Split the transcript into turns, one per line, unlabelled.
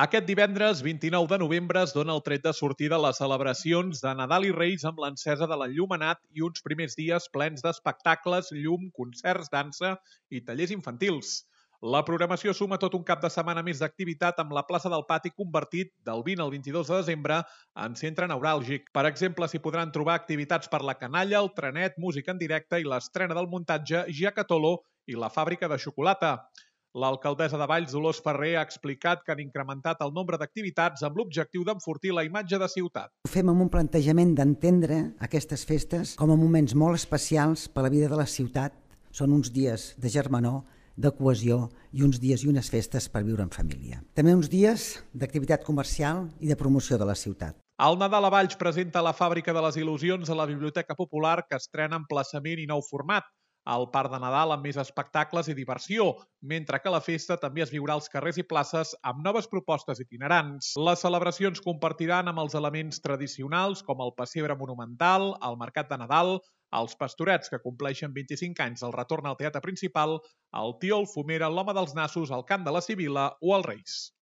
Aquest divendres 29 de novembre es dona el tret de sortida a les celebracions de Nadal i Reis amb l'encesa de l'enllumenat i uns primers dies plens d'espectacles, llum, concerts, dansa i tallers infantils. La programació suma tot un cap de setmana més d'activitat amb la plaça del Pati convertit del 20 al 22 de desembre en centre neuràlgic. Per exemple, s'hi podran trobar activitats per la canalla, el trenet, música en directe i l'estrena del muntatge Giacatolo i la fàbrica de xocolata. L'alcaldessa de Valls, Dolors Ferrer, ha explicat que han incrementat el nombre d'activitats amb l'objectiu d'enfortir la imatge de ciutat.
Ho fem amb un plantejament d'entendre aquestes festes com a moments molt especials per a la vida de la ciutat. Són uns dies de germanor, de cohesió i uns dies i unes festes per viure en família. També uns dies d'activitat comercial i de promoció de la ciutat.
El Nadal a Valls presenta la Fàbrica de les Il·lusions a la Biblioteca Popular, que estrena emplaçament i nou format. El Parc de Nadal amb més espectacles i diversió, mentre que la festa també es viurà als carrers i places amb noves propostes itinerants. Les celebracions compartiran amb els elements tradicionals com el pessebre monumental, el mercat de Nadal, els pastorets que compleixen 25 anys del retorn al teatre principal, el tió, el fumera, l'home dels nassos, el cant de la Sibil·la o els Reis.